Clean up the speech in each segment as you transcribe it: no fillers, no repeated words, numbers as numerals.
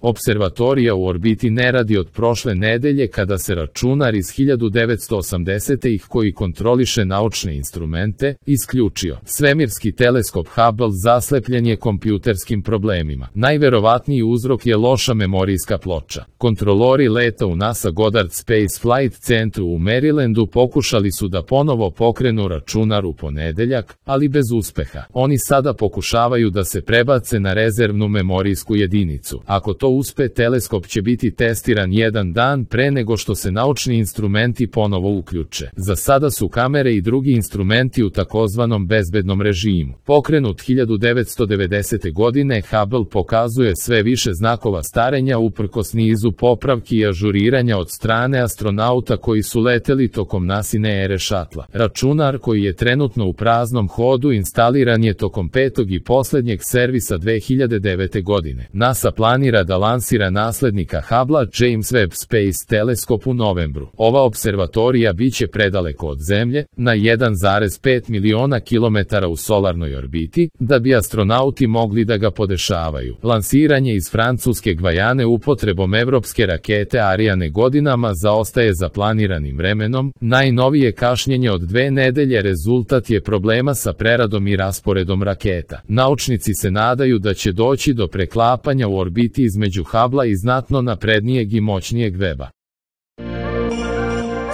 Observatorija u orbiti ne radi od prošle nedelje kada se računar iz 1980-ih koji kontroliše naučne instrumente, isključio. Svemirski teleskop Hubble zaslepljen je kompjuterskim problemima. Najverovatniji uzrok je loša memorijska ploča. Kontrolori leta u NASA Goddard Space Flight Centru u Marylandu pokušali su da ponovo pokrenu računar u ponedeljak, ali bez uspeha. Oni sada pokušavaju da se prebace na rezervnu memorijsku jedinicu. Ako to uspe, teleskop će biti testiran jedan dan pre nego što se naučni instrumenti ponovo uključe. Za sada su kamere i drugi instrumenti u takozvanom bezbednom režimu. Pokrenut 1990. godine, Hubble pokazuje sve više znakova starenja uprkos nizu popravki i ažuriranja od strane astronauta koji su leteli tokom NASIne ere šatla. Računar koji je trenutno u praznom hodu instaliran je tokom 5. i poslednjeg servisa 2009. godine. NASA planira da lansira naslednika Hubble-a, James Webb Space Telescope, u novembru. Ova observatorija biće predaleko od Zemlje, na 1,5 miliona kilometara u solarnoj orbiti, da bi astronauti mogli da ga podešavaju. Lansiranje iz francuske Gvajane upotrebom evropske rakete Ariane godinama zaostaje za planiranim vremenom. Najnovije kašnjenje od 2 nedelje rezultat je problema sa preradom i rasporedom raketa. Naučnici se nadaju da će doći do preklapanja u orbiti između Hubble-a i znatno naprednijeg i moćnijeg Weba.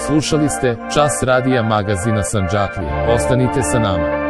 Slušali ste Čas radija magazina Sandžaklija. Ostanite sa nama.